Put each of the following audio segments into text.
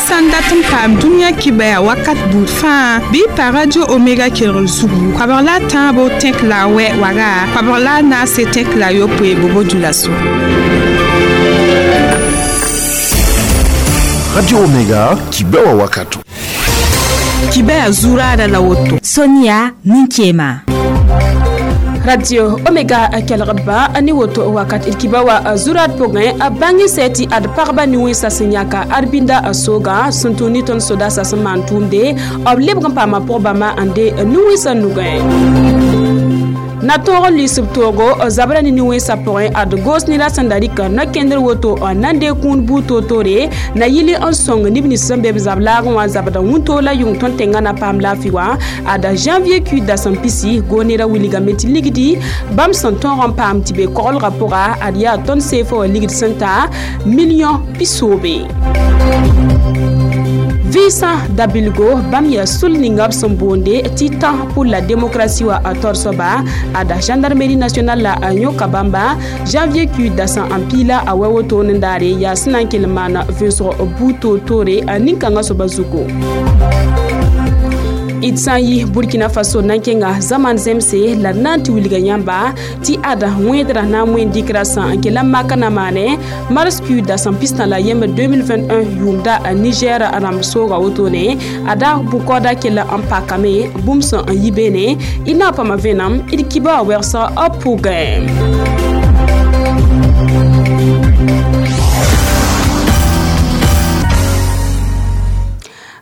Sãn dat n paam dũniyã kibaya wakat buud fãa bɩ pa Radio Omega kelgr zugu koabg la a tãabo tẽk la a wɛ waga koabg la a naase tẽk la a yopoe bobo-dioulasso. Radio Omega kibewa wakato. Kibaya zuraada la woto. Sonia Ninkema. Radio Omega kelgdba ne woto wakat d kiba wa zurad pʋgẽ a bãng sɛ tɩ ad pagba ne-wẽnsã sẽn yãka arbinda sooga sẽn tũ ne tõnd sodaasã sẽn maan tʋʋmde b lebg n paama pʋg-bãmba n de ne-wẽnsã nugẽ. Na tõog n lisb toogo zabra ne ne-wẽnsã pʋgẽ ad goos ne la sẽn da rɩk no-kẽndr woto n na n deeg kũud buud toor-toore na yɩl n sõng neb nins sẽn be b zab laagẽ wã zabda wĩntoog la yʋng tõnd tẽngã na paam laafɩ wã ada janvier kuid dasem pisi goonera wilgame tɩ ligdi bãmb sẽn tõog n paam tɩ be koglgã pʋga ad yaa tõnd seefa wã ligd sẽn ta million pisoobe. Vɩɩsã dabilgo bãmb yaa sul ninga b sẽn boonde tɩ tã pour la démocratie wa a taoor soaba ada gendarmerie nationale la a yõka bãmba janvier kuid dasã n piila a wɛ woto n daare yaa sẽn na n kell n maana vẽnsg buud toor-toore a nin-kãngã soaba zugu. D sã n yi Burkina Faso na n kẽnga zaman zemse la d na n tɩ wilga yãmba tɩ ada wẽedrã na n wẽn dɩkra sã n kell n maka na maane mars kuid dasem pistã la yemb 2021 yʋʋmda Niger rãmb sooga wotone ada bʋ-kaooda kell n pakame bũmb sẽn n yi beene d na n paama vẽenem d kiba wa wɛgsg b pʋgẽ.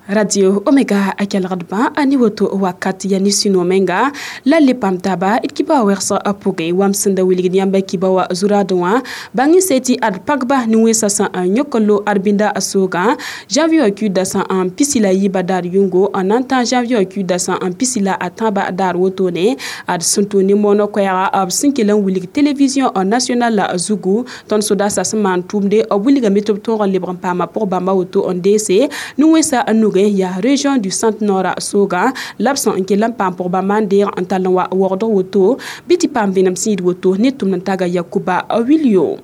Radio Omega a kelgdbã a ne woto wakat ya ne sũ menga la le paam taaba d kiba wa wɛgsg a pʋgẽ wam sẽn da wilgd yãmba kiba wa zuraadẽ wã bãng n se tɩ ad pagba ne wẽnsã sã n yõk n lo arbinda a soogã janvier wã kuid dasã n pisi la yiibã daar yʋngo n na n tã janvier wã kuid dasã n pisi la a tãabã daar wotone ad sẽn tʋ ne moonã koɛɛga b sẽn kell n wilg télévision nationale la zugu tõnd sodaasã sẽn maan tʋʋmde b wilgame tɩ b tõog n lebg n paama pʋg-bãmba woto n deese ne wẽnsã n nugẽ yaa région du centre nord sooga la b sẽn n kell n paam pʋg-bãmba n deeg n tall n wa waoogdg woto bɩ tɩ paam vẽenem sẽn yit woto ne tʋmd n taga Yakuba Wilio.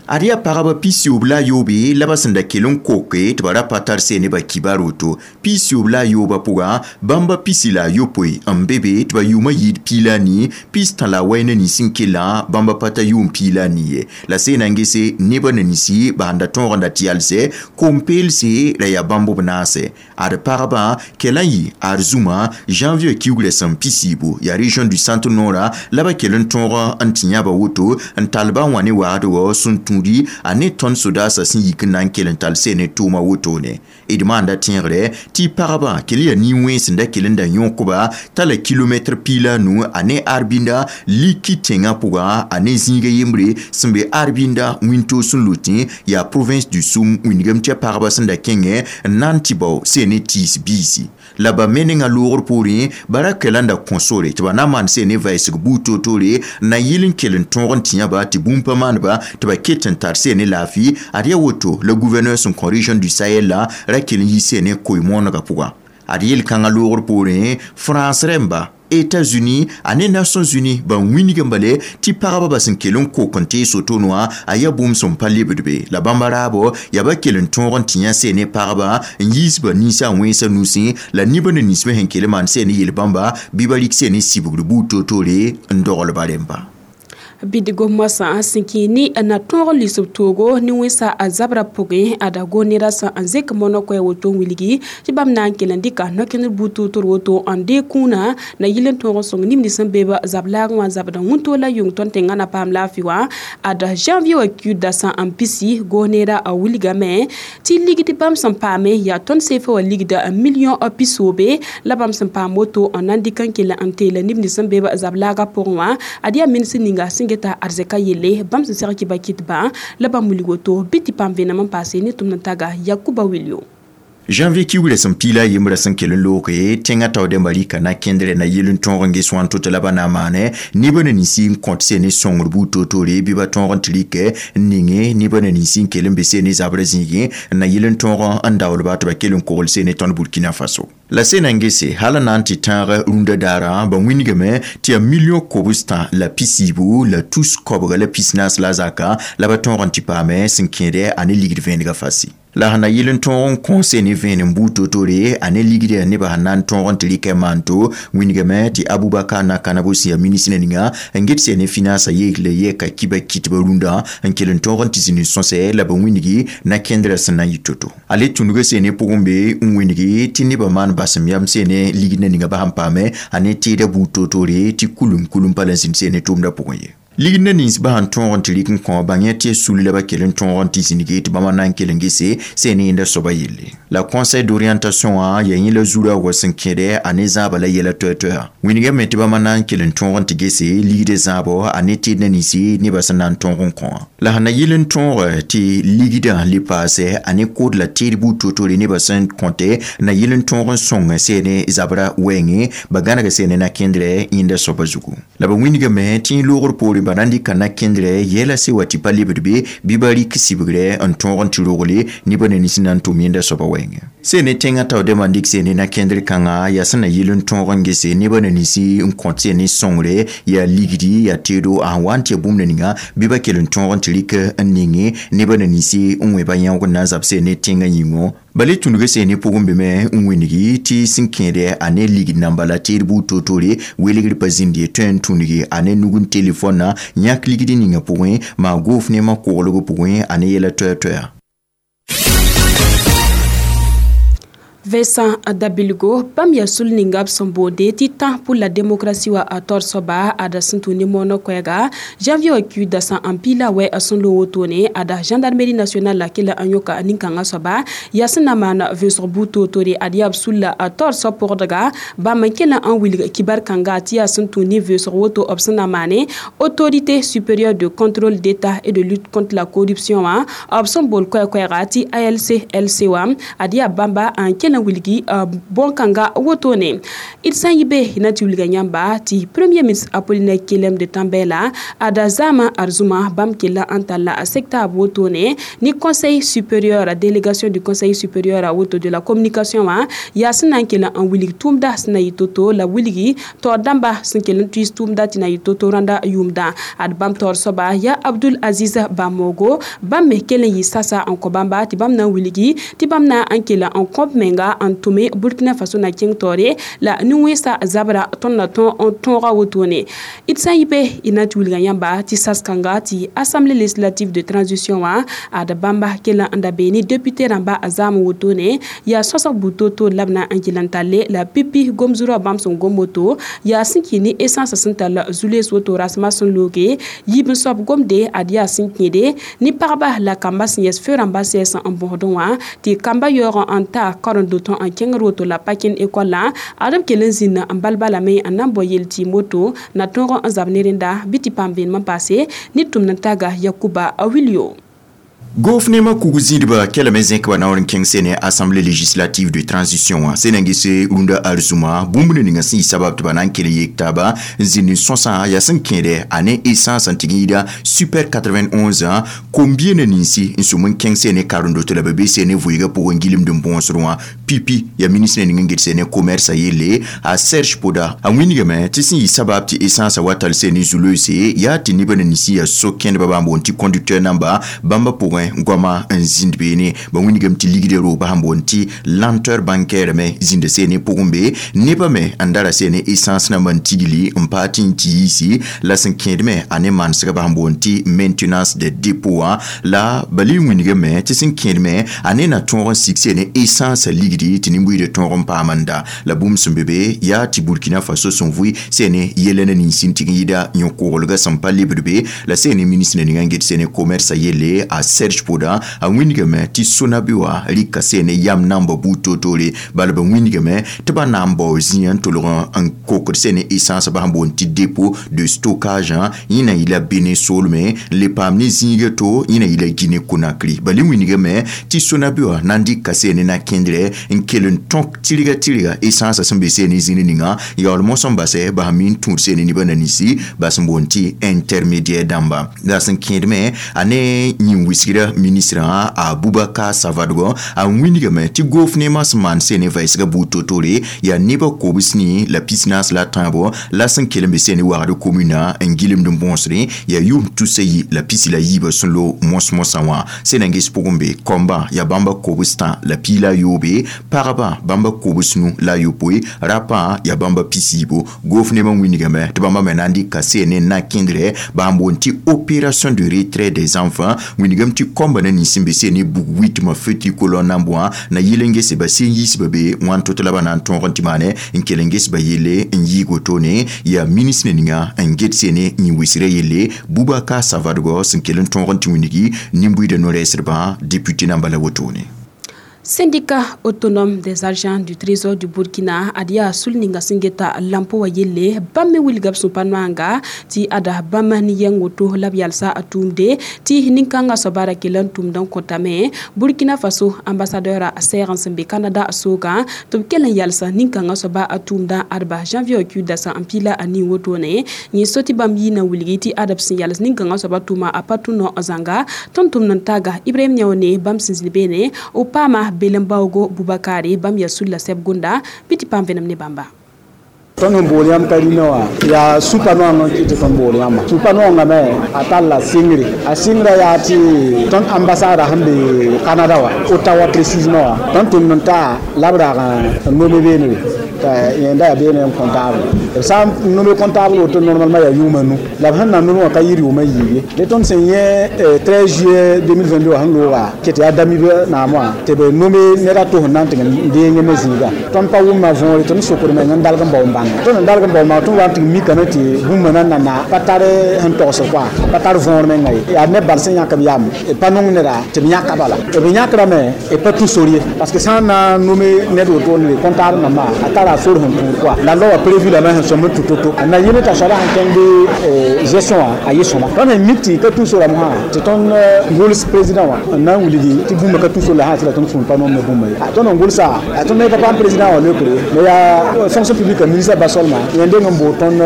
Ad yaa pagba pisiyoob la a yoobe la ba sẽn da kell n koke tɩ ba ra pa tar see nebã kibar woto. Pisiyoob la a yoobã pʋga bãmba pisi la a yopoe n be be tɩ ba yʋʋmã yɩɩd piig la a nii pistã la a wɛy ne nins n kellã bãmba pa ta yʋʋm piig la a nii ye. La see na n gese nebã ne ninsi ba sẽn da tõog n da tɩ yalsɛ kom-peelse la yaa bãmb b naase. Ad pagba kell n yɩ ad zũma janvier kiugrã sẽn pisiibu yaa région du centre nord la ba kell n tõog n tɩ yãba woto n tall ba wã ne wagdgɔ sẽn tũudi a ne tõnd sodaasã sẽn yik n na n kell n tall see ne tʋʋma wotone. D maanda tẽegre tɩ pagba kell yaa nin-wẽns n da kell n da yõkba t'a la kilomɛtr piig la a nu a ne arbinda liki tẽngã pʋga a ne zĩiga yembre sẽn be arbinda wĩntoog sẽn lotẽ yaa province du Soum wĩndgame tɩ pagba sẽn da kẽngẽ n na n tɩ bao see ne tiis biisi. La ba me nengã loogr poorẽ ba ra kɛla n da kõ sore tɩ ba na n maan see ne vɛɛsg buud toor-toore n na yɩl n kell n tõog n tĩ yãba tɩ bũmb pa maaneba tɩ ba ket n tar see ne laafɩ ad yaa woto la gouverneur sẽn kõ région du Sahel la ra kell n yi see ne koe-moonegã pʋga. Ad yel-kãngã loogr poorẽ France rẽmba États-Unis a ne Nations Unies ban wĩnigã bale tɩ pagba ba sẽn kell n kok n tees wotone wã a yaa bũmb sẽn pa lebd be la bãmba raabo yaa ba kell n tõog n tĩ yã see ne pagba n yiis ba ninsã wẽnsã nusẽ la nibã ne ninsbã sẽn kell n maan see ne yel-bãmba bɩ ba rɩk see ne sibgr buud toor-toore n dogl ba rẽmba. Bidgo moasã sẽn kẽ ne na tõog n lisb toogo ne wẽnsa a zabra pʋgẽ ada go-nera sã n zẽk moonã koɛɛ woto n wilgi tɩ bãmb na n kell n dɩka no-kẽndr buud toor-toor woto n deeg kũunã na yɩl n tõog n sõng neb nins sẽn be b zab laagẽ wã zabda wĩntoog la yʋng tõnd tẽngã na paam laafɩ wã ada janvier wã kuid dasã n pisi go-neera a wilgame tɩ ligd bãmb sẽn paame yaa tõnd seefa wã ligda million pisoobe la bãmb sẽn paam woto n na n dɩk n kell n teela neb nins sẽn be b zab laagã pʋgẽ wã ad yaa minis ninga sẽn geta arzɛka yelle bãmb sẽn seg kɩba kɩtbã la bãmb wilg woto bɩ tɩ paam vẽenem n paase ne tʋmd n taga Yakuba Wilio. Janvier kiugrã sẽn piig la a yembrã sẽn kell n looge tẽngã tao dẽmba rɩka na kẽndrɛ na yɩl n tõog n ges wãn to tɩ la ba na n maane nebã ne ninsi n kõt see ne sõngr buud toor-toore bɩ ba tõog n tɩ rɩkɛ n ninge nebã ne ninsi n kell n be see ne zabrã zĩigẽ n na yɩl n tõog n daoolba tɩ ba kell n kogl see ne tõnd Burkina Faso. La sẽn na n gese hal n na n tɩ tãag rũndã daarã ba wĩndgame tɩ yaa million kobstã la pisiibu la tus koabga la pisnaas la a zaka la ba tõog n tɩ paame sẽn kẽedɛ a ne ligd vẽenegã fasi. La sẽn na yɩl n tõog n kõ sene vẽenem buud toor-toore a ne ligdã nebã sẽn na n tõog n tɩ rɩkɛ maan to wĩnigame tɩ Abubakar Nakanabo sẽn yaa ministrã ninga n get sene finance yeekle yɛka kiba kitbã rũndã n kell n tõog n tɩ zĩnd n sõsɛ la ba wĩnigi na kẽndrã sẽn na n yɩ to-to. A le tũnuga sene pʋgẽ be n wĩnigi tɩ nebã maan basem yam sene ligdã ninga ba sẽn paame a ne teeda buud toor-toore tɩ kulum pa la n zĩnd sene tʋʋmdã pʋgẽ ye. Ligdã nins ba sẽn tõog n tɩ rɩk n kõ bãng tɩ sul la ba kell n tõog n tɩ zĩnige tɩ bãmba na n kell n gese sẽn yẽnda soaba yelle. La conseil d'orientation wã yaa yẽ la zurã wa sẽn kẽdɛ a ne zãabã la yɛla toɛ-toɛa. Wĩnigame tɩ bãmba na n kell n tõog n tɩ gese ligdã zãabɔ a ne teedã ninsi nebã sẽn na n tõog n kõ wã. La sẽn na yɩl n tõog tɩ ligdã le paasɛ a ne kood la teed buud toor-toore nebã sẽn kõte na yɩl n tõog n sõng sene zabra wɛɛngẽ ba gãnega sene na kẽndrɛ yẽnda soaba zugu. La ba wĩnigame tɩ loogr poorẽ ba na n dɩka na kẽndrɛ yɛla se wa tɩ pa lebd be bɩ ba rɩk sibgrɛ n tõog n tɩ rogle nebã na nins na n tʋm yẽnda soaba wɛɛngẽ. Sene tẽngã tao dẽmba n dɩk sene na kẽndr kãngã yaa sẽn na yɩl n tõog n gese nebã na ninsi n kõt sene sõngre yaa ligdi yaa teedo a sẽn wa n tɩ ya bũmb na ninga bɩ ba kell n tõog n tɩ rɩk n ninge nebã na ninsi n wẽ ba yãoog n na n zab sene tẽngã yĩngõ. Ba le tũnuga sene pʋgẽ beme n wĩnigi tɩ sẽn kẽede a ne ligd namba la teed buud toor-toore welgr pa zĩnd ye tõe n tũnugi a ne nug n telefõnã yãk ligd ninga pʋgẽ maa goof neemã koglg pʋgẽ a ne yɛla toɛ-toɛa. Vincent Dabilgo bãmb yaa sul ninga b sẽn boonde tɩ tã pour la démocratie wa a taoor soaba ada sẽn tũ ne moonã koɛɛga janvier wa kiuud dasã n piila wɛ sẽn loog wotone ada gendarmerie nationale la kela n yõka nin-kãngã soaba yaa sẽn na maan vẽsg buud toor-toore ad yaa b sul la a taoor soab pʋgdga bãmb n kell n wilg kibar kãnga tɩ yaa sẽn tũ ne vẽsg woto b sẽn na maane autorité supérieure de contrôle d'état et de lutte contre la corruption wã b sẽn bool koɛ-koɛɛga tɩ ALC LC wã ad yaa bãmba n kell n wilgi bõn-kãnga wotone d sã n yɩ be na tɩ wilga yãmba tɩ premier ministre Apollinaire Kyélem de Tambèla ada zãama arzuma bãmb kella n talla a secta b wotone ni conseil supérieur délégation du conseil supérieur woto de la communication wã yaa sẽn na n kell n wilg tʋʋmda sẽn na yɩ to-to la wilgi taoor dãmba sẽn kell n tuis tʋʋmda tɩ na yɩ to-to rãnda yʋʋmdã ad bãmb taoor soaba yaa Abdoul Aziz Bamogo bãmb me kell n yɩ sasa n kõ bãmba tɩ bãmb na n wilgi tɩ bãmb na n kell n kõb menga n tʋme Burkina Faso na kẽng taoore la nin-wẽnsa zabra tõnd na tõog n tõoga wotone d sã n yɩ be y na tɩ wilga yãmba tɩ sas-kãnga tɩ assemblée législative de transition wã ad bãmba kell n da bee ne député rãmba a zaam wotone yaa sõsg buud toor-toor la b na n kell n talle la pipi gom-zurã bãmb sẽn gom woto yaa sẽn kɩ ne essence sẽn tall zu-lees woto rasmã sẽn looge yiib n soab gomde ad yaa sẽn kẽede ne pagba la kamba sẽn yɛs feu rãmba sɛɛs n bõsdẽ wã tɩ kamba yaoog n ta karen-dotõ n kẽngr woto la pa kẽnd ekɔlã ad b kell n zĩnd n bal balame n na n bao yel tɩɩm woto na tõog n zab ne rẽnda bɩ tɩ paam vẽenem n paase ne tʋmd n taga Yakuba Wilio. Gouvernement kug zĩdba kelame zẽk ba naoor n kẽng sene assemblée législative de transition wã sẽn na n gese rũndã arzũma bũmb ninga sẽn yɩ sabab tɩ ba na n kell yek taaba n zĩnd n sõsã yaa sẽn kẽede a ne essence n tɩg n yɩɩda super 91 kom-bienã ninsi n sʋm n kẽng sene karen-doto la ba be sene vʋɩɩgã pʋgẽ gilmd n bõosd wã pipi yaa ministre ning n get sene commerce a yelle a Serge Poda a wĩnigame tɩ sẽn yɩ sabab tɩ essence wa tall sene zu-loeese yaa tɩ nebã na ninsi yaa so-kẽndbã bãmb boond tɩ conducteur namba bãmba pʋgẽ goama n zĩnd beene ba wĩnigame tɩ ligdã rooba sẽn boond tɩ lenteur bancaire me zĩnda sene pʋgẽ be nebã me n dara sene essence namba n tigli n paa tɩ n tɩ yiisi la sẽn kẽed me a ne manesgã sẽn boond tɩ maintenance de dépôt wã la ba le wĩnigame tɩ sẽn kẽed me a ne na tõog n sig sene essence ligdi tɩ nin-buiidã tõog n paam n da la bũmb sẽn be be yaa tɩ Burkina Faso sẽn vʋɩ sene yɛla na nins n tɩg n yɩɩda yõ-koglgã sẽn pa lebd be la sene ministre ninga n get sene commerce a yelle a Serge Poda a wĩnigame tɩ Sonabi wã rɩka sene yam namba buud toor-toore bala ba wĩnigame tɩ ba na n bao zĩyã n tolg n kokd sene essence ba sẽn boond tɩ dépôt de stockage yẽ na yɩla Benin soolme n le paam ne zĩiga to yẽ na yɩla Guinée Conakry ba le wĩnigame tɩ Sonabi wã na n dɩka sene na kẽndrɛ n kell n tõk tɩrga tɩrga essence sẽn be sene zĩnd ninga yaool mosã n basɛ ba sẽn mi n tũud sene nebã na ninsi ba sẽn boond tɩ intermédiaire dãmba la sẽn kẽed me a ne yĩn-wisgrã ninbʋɩda ministrã Abubakar Savadgo a wĩnigame tɩ goof neemã sẽn maan sene vɛɛsga buud to-tore yaa nebã kobs ne la 45 la tãabo la sẽn kell n be sene wagd komuna n gɩlemd n bõosre yaa yʋʋm tusa yi la pisi la yiibã sẽn lo mos-mosã wã sẽn ges pʋgẽ be kɔmbã yaa bãmba kobs tã la piig la yoobe pagba bãmba kobs nu la yopoe rapã yaa bãmba pisiibo goof nebã wĩnigame tɩ bãmba me na n dɩka sene n na n kẽndrɛ bãmb boond tɩ opération de retrait des enfants wĩnigame tɩ kɔmbã na nins sẽn be sene bug witmã feu tricolore na n bõa na yɩl n gese ba sẽn yiisba be wãn to-to la ba na n tõog n tɩ maane n kell n ges ba yelle n yɩɩg wotone yaa ministre ninga n get sene n wisra yelle Boubacar Savadgo sẽn kell n tõog n tɩ wĩnigi nin-buiidã no-rɛɛsdbã député namba la wotone. Syndicat autonome des agents du Trésor du Burkina adia sulninga singeta lampo wa yelle bamme wilgab supanwanga ti ada bamma ni yangoto labyalsa atumde ti ninkanga sobara kelan tumdan kotame Burkina Faso ambassadeur a seran sembe Canada soga to kelen yalsa ninkanga soba atumda arba janvier ku dasa ampila ani wotone ni soti bam yina wilgi ti adab sin yals ninkanga soba tuma apatuno azanga tontum nan taga Ibrahim Niaone bam sinzibene opama Belembaogo Bubakari bam yasulla seb gunda piti pamvenam ne bamba. Tõnd sẽn bool yãmb ka rĩnã wã yaa supa-noangã n kɩt tɩ tõnd bool yãmba supa-noangã me a talla sɩngre a sɩngrã yaa tɩ tõnd ambassada sẽn be Canada wã Ottawa précisément wã tõnd tʋmd n taa la b rag n nome beenre t'a yẽnda yaa beene n comptable b sã n nome comptable woto normalement yaa yʋʋma nu la b sẽn na nome wã ka yɩ rɩʋʋmã yiib ye le tõnd sẽn yẽ 13 juillet 2022 wã sẽn looga ket yaa damib naam wã tɩ b nome ned a to sẽn na n tɩg n deeng ne zĩiga tõnd pa wʋmma võore tɩ d sokd meng n dalg n bao n bãng tõnd n dalg n bao maa tõnd wa n tɩg mikame tɩ bũmba na n na pa tar sẽn togsd koa pa tar võor menga ye yaa neb bal sẽn yãk b yam b pa nong neda tɩ b yãka bala b yãkrame b pa tũ sor ye parce que sã n na n nome ned wotone comptable nambã a tara sor sẽn tũud koa la loa prévu lame sẽn sõm n tũ to-to na yɩl t'a soaba sẽn kẽng bɩ gestion wã a yɩ sõma tõnd sẽn mik tɩ ka tũ sora mosã tɩ tõnd gʋls président wã n na n wilgi tɩ bũmba ka tũ sor la sã tɩ la tõnd sũur pa nomne bũmba ye tõnd n gʋlsa tõnd me pa paam président wã leokre me yaa fonction publique ministre basolma yẽn deng n bool tõnd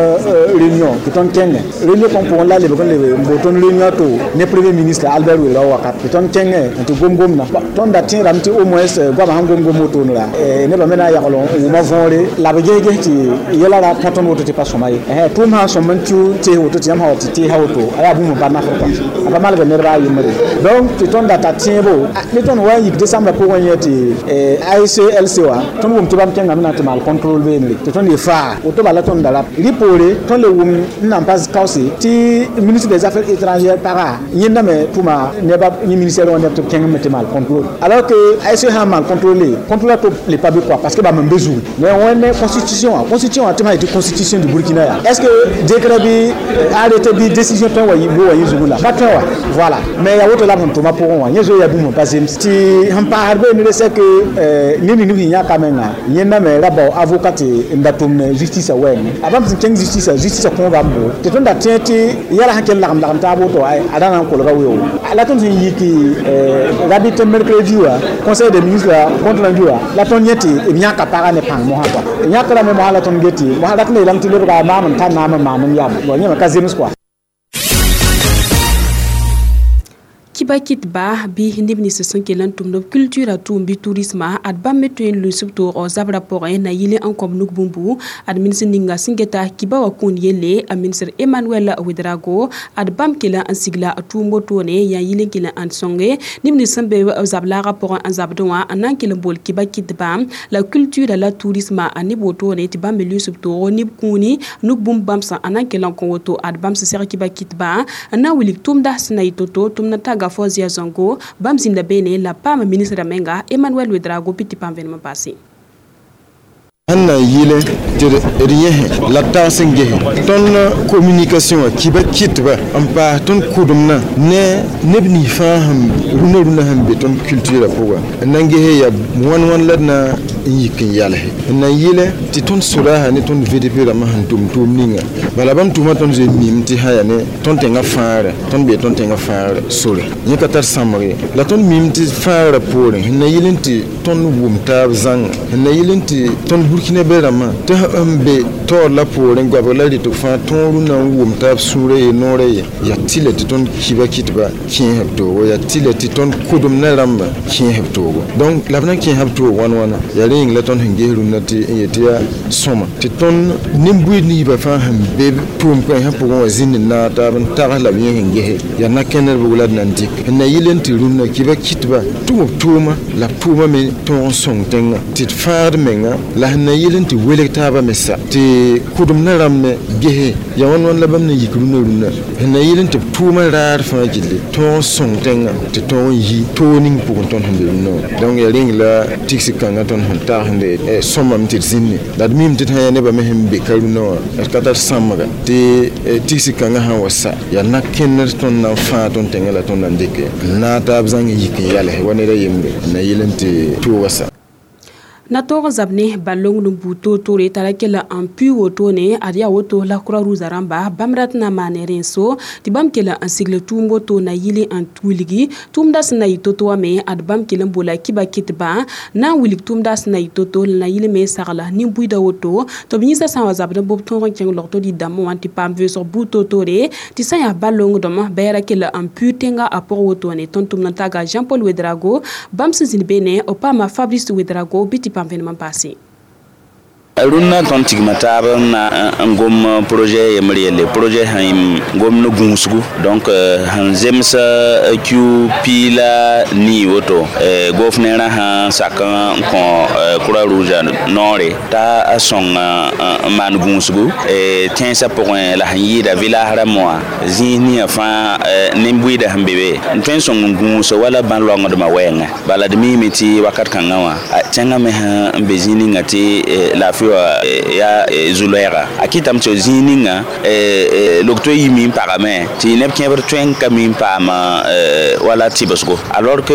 réunion tɩ tõnd kẽngẽ réunion kõn pʋgẽ la lebg n lebe n bool tõnd réunion to ne premier ministre Albert Ouédraogo wakat tɩ tõnd kẽngẽ n tɩ gom-gomdã tõnd da tẽedame tɩ au moins goamã sẽn gom-gom wotone ra nebã me na n yagl n wʋma võore la b ges-ges tɩ yɛla ra kõ tõnd woto tɩ pa sõma ye tʋʋm sã n sõm n tɩ tees woto tɩ yãmb sã wa tɩ teesa woto a yaa bũmb n pa nafr kɔa a pa malg nedba a yembre donc tɩ tõnd data tẽebo ne tõnd wa n yik décembre pʋgẽ yẽ tɩ ACLC wã tõnd wʋm tɩ bãmb kẽngame na n tɩ maal contrôle beenre tɩ tõnd ye faa woto bala tõnd da rap rɩ poore tõnd le wʋm n nan pa kaoose tɩ ministre des affaires étrangères paga yẽnda me tʋma neba yẽ ministère wã neb tɩ b kẽng me tɩ maal contrôle alors que ASC sã n maal contrôle contrôle to le pa be quoi parce que bãmb n be zugre mais wẽnd constitution wã constitution wã tɩ ma yetɩ constitution du Burkina ya est ce que décret bɩ arrêté bɩ décision tõe wa bo wa yẽ zugu la pa tõe wa voilà mais yaa woto la b sẽn tʋma pʋgẽ wã yẽ zoe yaa bũmb n pa zems tɩ sẽn paasd beene c'est que ned ning sẽn yãka menga yẽnda me ra bao avocat tɩ n da tʋmne justice wɛɛngẽ a bãmb sẽn kẽng justice justice kõoba n bo tɩ tõnd da tẽ tɩ yɛla sẽn kell lagem lagem taab woto a da na n kolga weoogo la tõnd sẽn yik rabit mercredi wã conseil des ministres compte rendu wã la tõnd yẽ tɩ b yãka paga ne pãng mosã kɔa yãkrame mosã la tõnd get tɩ mosã rat n yeelame tɩ lebga maam n tar naam n maan n yam yẽ me ka zems kɔa. Kibakit ba bi neb nins sẽn kell n tʋmd b culture tʋʋm bɩ tourisme ad bãmb me tõe n lʋɩs b toogɔ zabrã pʋgẽ na yɩl n kõb nug bũmbu ad ministr ninga sẽn geta kiba wã kũun yelle a ministr Emmanuel Ouedraogo ad bãmb kell n sigla tʋʋm wotone yaa yɩl n kell n sõnge neb nins sẽn be zab laagã pʋgẽ n zabdẽ wã n na n kell n bool kiba kɩtba la culture la tourisme a neb wotone tɩ bãmb me lʋɩs b toogɔ neb kũuni nug bũmb bãmb sã n na n kell n kõ woto ad bãmb sẽn seg kiba kɩtba n na n wilg tʋʋmda sẽn na yɩ to-to tʋmd n taga Fozia Zongo bãmb zĩnda beene la paam ministra menga Emmanuel Ouedraogo piti pãm vẽnem n paase. Sẽn na n yɩle tɩ d yẽse la tags n gese tõnd communication wã kiba kɩtba n paas tõnd kʋdemdã ne neb nins fãa sẽn rũnã rũnã sẽn be tõnd culture pʋga n na n gese yaa wãn wãn la d na n yik n yalse n na n yɩle tɩ tõnd sodaasã ne tõnd VDP rãmbã sẽn tʋm tʋʋm ninga bala bãmb tʋʋmã tõnd zoe mim tɩ sã yaa ne tõnd tẽngã fãagrã tõnd bee tõnd tẽngã fãagrã sore yẽ ka tar sãmbg ye la tõnd mim tɩ fãagrã poorẽ sẽn na yɩl n tɩ tõnd wʋm taab zãnga sẽn na yɩl n tɩ tõnd burkina be rãmbã tɩ n be taoor la poorẽ goabg la rɩtg fãa tõog rũnã n wʋm taab sũurã ye noorã ye yaa tɩlɛ tɩ tõnd kiba kɩtba kẽes b toogo yaa tɩlɛ tɩ tõnd kʋdemdã rãmba kẽes b toogo donc la b na n kẽesa b toog wãn wãna yaa rẽ yĩng la tõnd sẽn ges rũnnã tɩ n yet tɩ yaa sõma tɩ tõnd nin-buiid ninsbã fãa sẽn be tʋʋm-kãensã pʋgẽ wã zĩnd n naag taab n tags la b yẽ sẽn gese yaa na-kẽndr bʋg la d na n dɩk sẽn na yɩl n tɩ rũnnã kɩba kɩtba tʋ b tʋʋma la b tʋʋma me tõog n sõng tẽngã tɩ d fãagd menga la sẽn na yɩl n tɩ welg taabã me sa tɩ kʋdemdã rãmb me gese yaa wãn wãn la bãmb na yik rũnnã rũnnã sẽn na yɩl n tɩ b tʋʋma raar fãa gilli tõog n sõng tẽngã tɩ tõog n yi toog ning pʋgẽ tõnd sẽn be rũnnã wã donc yaa rẽng la tigsi kãngã tõnd sẽn tagsende sõmame tɩ d zĩnne la d mim tɩ d sã yaa nebã me sẽn be ka rũnnã wã d ka tar sãmbga tɩ tigsi kãngã sã n wa sa yaa na-kẽndr tõnd na n fãag tõnd tẽngã la tõnd na n dɩke n naag taab zãng n yik n yals wa ned a yembre n na yɩl n tɩ tooga sa. Na tog zab ne balong n bu toor-toore tara kell n pʋɩ wotone ad yaa woto la croix rouge rãmba bãmb rat na maane rẽn-so tɩ bãmb kell n sigl tʋʋm woto na yɩl n wilgi tʋʋmda sẽn na yɩ to-to wã me ad bãmb kell n bola kiba kɩtbã na n wilg tʋʋmda sẽn na yɩ to-to la na yɩl me sagla nin-buiidã woto tɩ b yĩnsã sã n wa zabd n bob tõog n kẽng logto dɩ-dãmbẽ wã tɩ paam vʋʋsg buud toor-toore tɩ sã n yaa balongdem bɛɛra kell n pʋɩ tẽngã a pʋg wotone. Tõnd tʋmd n taga Jean Paul Ouedraogo bãmb sẽn zĩnd beene b paama Fabrice Ouedraogo bɩ tɩ paam vẽnem n paase. Rũnnã tõnd tigma taab n na n gom projet yembr yelle projet sẽn gom ne gũusgu donc sẽn zems kiu piila nii woto gofnẽerã sã sak n kõ croix rouge noore t'a a sõng n maan gũusgu tẽnsã pʋgẽ la sẽn yɩɩda village rãmb wã zĩis ninga fãa nin-buiidã sẽn be be n tõe n sõng n gũus wala bãn-loangdmã wɛɛngã bala d miime tɩ wakat kãngã wã tẽngã me sẽn be zĩig ninga tɩ laafɩ ya zu-loɛɛga a kɩtame tɩ zĩig ninga log-to yimi n pagame tɩ neb kẽebr tõe n ka mi n paam wala tɩbsgo alors que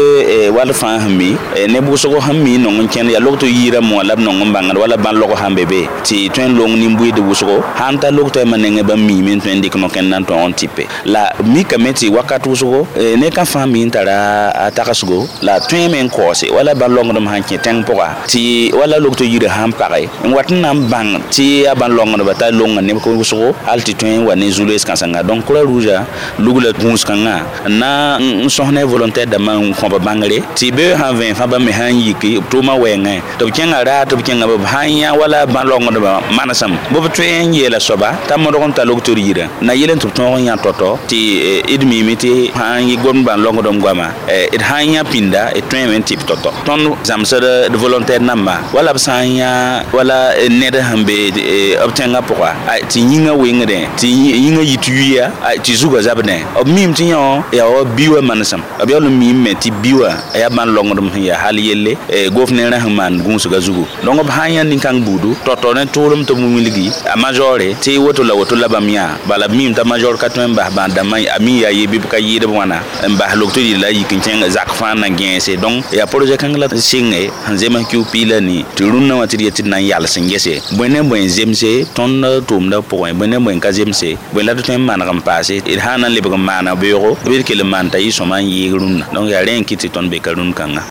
wall fãa sẽn mi neb wʋsgo sẽn mi n nong n kẽnd yaa log-to yiirã moã la b nong n bãngd wala bãn-log sãn be be tɩ tõe n long nin-buiid wʋsgo sãn ta log-to yãmba nengẽ bãmb miime n tõe n dɩk no-kẽnd na n tõog n tɩpe la mikame tɩ wakat wʋsgo ne ka fãa mi n tara a tagsgo la tõeme n kaoose wala bãn-longdem sãn kẽ tẽng pʋga tɩ wala log-to yirã sãn page n wat n na n bãng tɩ yaa bãn-longdba t'a longa neb wʋsgo hal tɩ tõe n wa ne zu-loees kãsenga donc croix rouge lugla gũus kãngã n na n sõs ne volontaire dãmbã n kõb bãngre tɩ be sãn vẽ fãa bãmb me sã n yiki b tʋʋmã wɛɛngẽ tɩ b kẽnga raar tɩ b kẽnga b sã n yã wala bãn-longdbã manesem bɩ b tõe n yeela soaba t'a modg n ta log-tor yirã na yɩl n tɩ b tõog n yã tɔ-tɔ tɩ d miime tɩ sã n yɩ gomd bãn-longdem goama d sã n yã pĩnda d tõeme n tɩ b tɔ-tɔ tõnd zãmsd d volontaire namba wala b sã n yã wala ned sẽn be b tẽngã pʋga tɩ yĩngã wengdẽ tɩ yĩngã yit yuya tɩ zugã zabdẽ b miime tɩ yã yaa wa bi wã manesem b yaool n miime tɩ bi wã yaa bãn-longdem sẽn yaa hal yelle gofnẽerã sẽn maan gũusgã zugu donc b sã n yã nin-kãng buudu tɔ-tɔ ne tʋʋlem tɩ b wilgi a majore tɩ woto la woto la bãmb yã bala b miime t'a major ka tõe n bas bãad-dãmbã a mi yaa ye bɩ b ka yɩɩd b wãna n bas log-to yɩl la yik n kẽng zak fãa na gẽese donc yaa projet kãng la sɩnge sẽn zems kiu piila nii tɩ rũnnã wã tɩ d yet tɩ d na n yals n gese bõe ne bõe n zemse tõnd tʋʋmdã pʋgẽ bõe ne bõe n ka zemse bõe la d tõe n maneg n paase d sã n na n lebg n maana beoogo bɩ d kell n maan t'a yɩ sõma n yɩɩg rũnnã donc yaa rẽ n kɩt tɩ tõnd be ka rũn kãnga.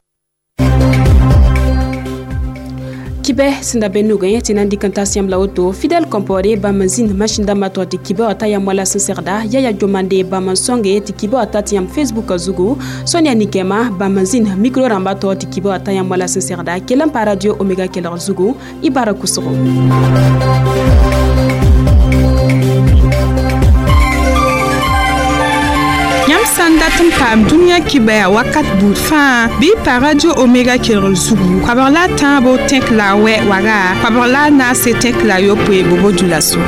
Kibɛ sẽn da be nugẽ tɩ na n dɩk n tas yãmb la woto Fidèle Compaoré bãmb n zĩnd masĩn-dãmbã tɔ tɩ kibã wã ta yãmb wala sẽn segda Yaya Jomande bãmb n sõnge tɩ kibã wã tat yãmb Facebook zugu Sonia Nikɛma bãmb n zĩnd micro rãmbã tɔ tɩ kibã wã ta yãmb wala sẽn segda kell n pa radio Omega kelgr zugu y bara kʋsgo. Yãmb sã n dat n paam dũniyã kibɛa wakat buud fãa bɩ y pa radio Omega kelgr zugu koabg la a tãabo tẽk la a wɛ waga koabg la a naase tẽk la a yopoe bobo dũlaso.